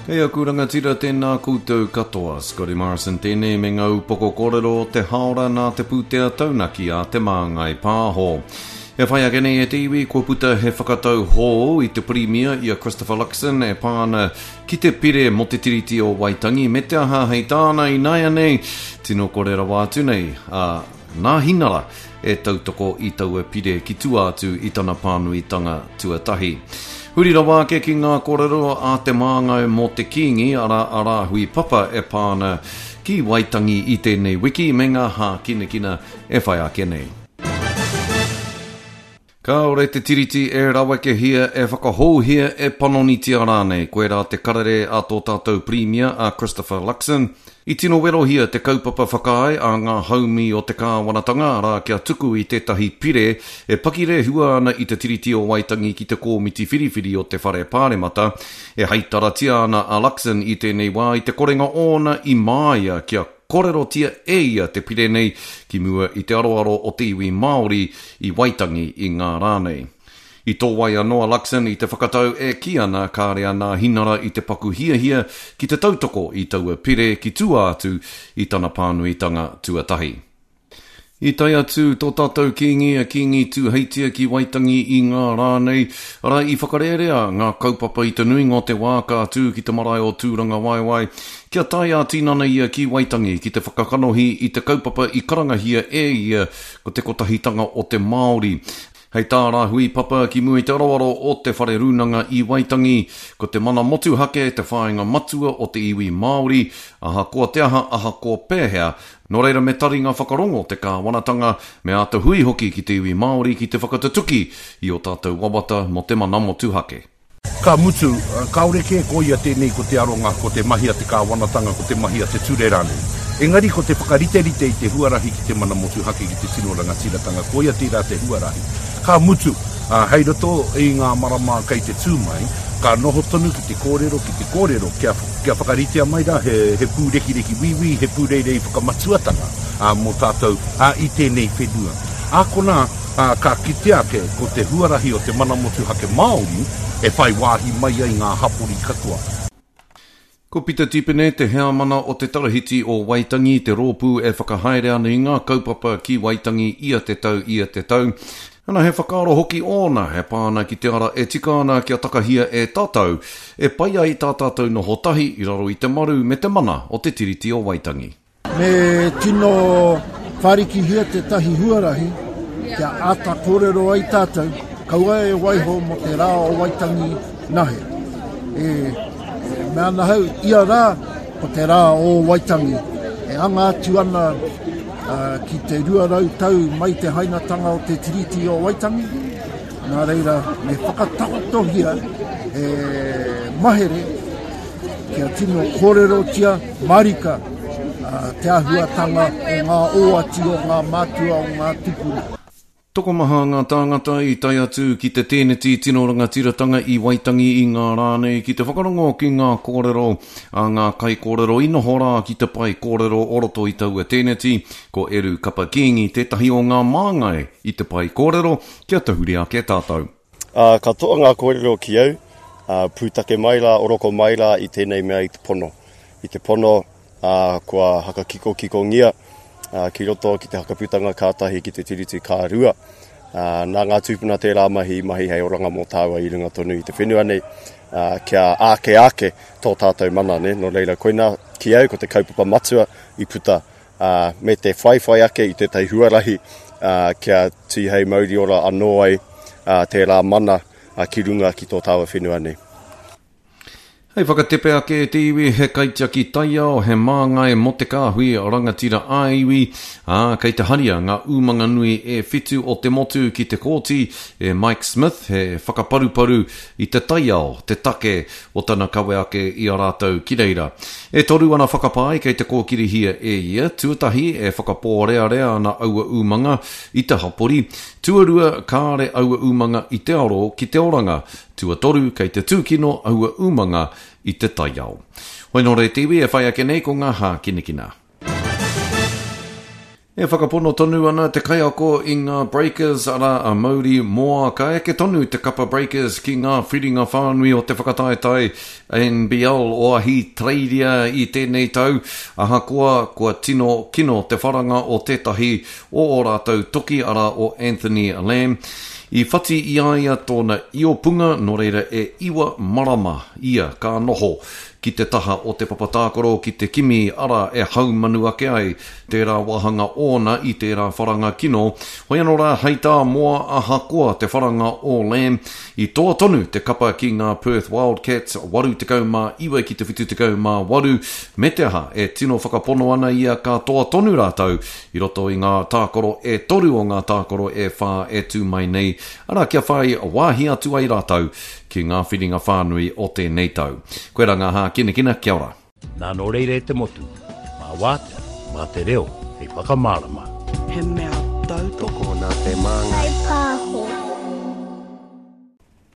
Kei aku rangatira tēnā koutou katoa. Scotty Morrison tēnei me ngā upoko kōrero o te hāora nā te pūtea taunaki a Te Māngai Pāho. E whai ake nei e te iwi, kua puta he whakatau hōu i te Pirimia i a Christopher Luxon e pā ana ki te pire mō te Tiriti o Waitangi me te aha hei tāna ināianei, tino kore rawa atu nei a Nāhinara e tautoko i taua pire ki tua atu i tana pānuitanga tuatahi. Huri rawa ake ki ngā kōrero a te māngai mō te Kīngi, arā a Rāhui Papa e pā ana ki Waitangi i tēnei wiki me ngā hākinakina e whai ake nei. Kāore te Tiriti e rawekehia, e whakahouhia, e panonitia rānei. Koirā te karere a tō tātou Pirimia, a Christopher Luxon. I tino werohia te kaupapa whakaae a ngā haumi o te kāwanatanga, arā, kia tuku i tētahi pire e pakirehua ana i te Tiriti o Waitangi ki te Kōmiti Whiriwhiri o te Whare Pāremata. E heitaratia ana a Luxon i tēnei wā i te korenga ōna i māia kia Korerotia e ia te pire nei ki mua i te aroaro o te iwi Māori i Waitangi i ngā rā nei. I tōwai anō a Luxon i te whakatau e kī ana kāre a Nāhinara i te paku hiahia ki te tautoko i taua pire ki tua atu i tana pānuitanga tuatahi. I tae atu tō tātou Kīngi a Kīngi Tūheitia ki Waitangi i ngā rā nei, arā, i whakarērea ngā kaupapa i te nuinga o te wā ka tū ki te marae o Tūrangawaewae, kia tae ā-tinana ia ki Waitangi ki te whakakanohi i te kaupapa i karangahia e ia ko te Kotahitanga o te Māori. Hei tā Rāhui Papa ki mua i te aroaro o te Whare Rūnanga i Waitangi, ko te mana motuhake te whāinga matua o te iwi Māori, ahakoa te aha, ahakoa pēhea, Nō reira me taringa whakarongo te kāwanatanga, me āta hui hoki ki te iwi Māori ki te whakatutuki i ō tātou wawata mō te mana motuhake. Ka mutu, kāore kē koia tēnei ko te aronga, ko te mahi a te kāwanatanga, ko te mahi a te ture rānei. Engari ko te whakariterite i te huarahi ki te mana motuhake, ki te tino rangatiratanga, koia tērā te huarahi. Ka mutu, hei roto i ngā marama kei te tū mai, ka noho tonu ki te kōrero, ki te kōrero, kia. Kia whakaritea mai rā he pūrekireki wīwī, he pūreirei whakamatuatanga mō tātou i tēnei whenua. Ā konā, ka kitea ake ko te huarahi o te mana motuhake Māori e whai wāhi mai ai ngā hapori katoa. Ko Pita Tipene te heamana o te Tarahiti o Waitangi, te rōpū e whakahaere ana i ngā kaupapa ki Waitangi ia te tau, ia te tau. Ana he whakaaro hoki ōna e pā ana ki te ara e tika ana kia takahia e tātou, e pai ai tā tātou noho tahi i raro i te maru me te mana o te Tiriti o Waitangi. Me tino whārikihia tētahi huarahi kia āta kōrero ai tātou, kaua e waiho mō te rā o Waitangi nahe. E mea ana hau, ia rā ko te rā o Waitangi e anga atu ana ki te 200 tau mai te hainatanga o te Tiriti o Waitangi, nā reira me whakatakotohia he mahere kia tino kōrerotia marika te āhuatanga o ngā oati o ngā mātua o ngā tupuna. Tokomaha ngā tāngata i tae atu ki te tēneti tino rangatiratanga i Waitangi i ngā rā nei ki te whakarongo ki ngā kōrero a ngā kaikōrero i noho rā ki te pae kōrero o roto i taua tēneti. Ko Eru Kapa Kīngi tētahi o ngā māngai i te pae kōrero kia tahuri ake tātou. Ā, katoa ngā kōrero ki au, ā, pūtake mai rā, oroko mai rā i tēnei mea i te pono. I te pono, ā, kua hakakikokikongia ki roto ki te hakaputanga ka tahi ki te Tiriti ka rua. Ā, nā ngā tūpuna tērā mahi i mahi hei oranga mō tāua i runga tonu i te whenua nei, ā, kia āke ake tō tātou mana, nē. Nō reira, koinā ki au ko te kaupapa matua i puta, ā, me te whaiwhai ake i tētahi huarahi, ā, kia tīhei mauri ora anō ai, ā, tērā mana, ā, ki runga ki tō tāua whenua nei. Hei whakatepe ake e te iwi, he kaitiaki taiao, he māngai mō te kāhui rangatira ā-iwi, ā, kei te haria ngā umanga nui e whitu o te motu ki te kōti e Mike Smith, he whakaparuparu i te taiao te take o tana kawe ake i a rātou ki reira. E toru ana whakapae kei te kōkirihia e ia, tuatahi, e whakapōrearea ana aua umanga i te hapori, tuarua, kāre aua umanga i te aro ki te oranga, Tuatoru, kei te tūkino aua umanga i te taiao. Hoi nō reira te iwi e whai ake nei ko ngā hākinakina. E whakapono tonu ana te kaiako i ngā Breakers, arā a Mauri Moa, ka eke tonu te kapa Breakers ki ngā whiringa whānui o te whakataetae NBL o Ahitereiria i tēnei tau, ahakoa kua tino kino te wharanga o tētahi o ō rātou toki, arā o Anthony Lamb. I whati i a ia tōna iopunga, nō reira e iwa marama ia ka noho ki te taha o te papa tākaro ki te kimi ara e haumanu ake ai tērā wāhanga ōna i tērā wharanga kino. Hoi anō rā, hei tā Moa ahakoa te wharanga o Lamb, i toa tonu te kapa ki ngā Perth Wildcats 89 ki te 78, me te aha, e tino whakapono ana ia ka toa tonu rātou i roto i ngā tākaro e toru o ngā tākaro e whā e tū mai nei, arā kia whai wāhi atu ai rātou ki ngā whiringa whānui o tēnei tau. Koirā ngā hākinakina, kia ora. Nā nō reira e te motu, mā Wātea, mā te reo hei whakamārama. He mea tautoko. Tokona te māngai.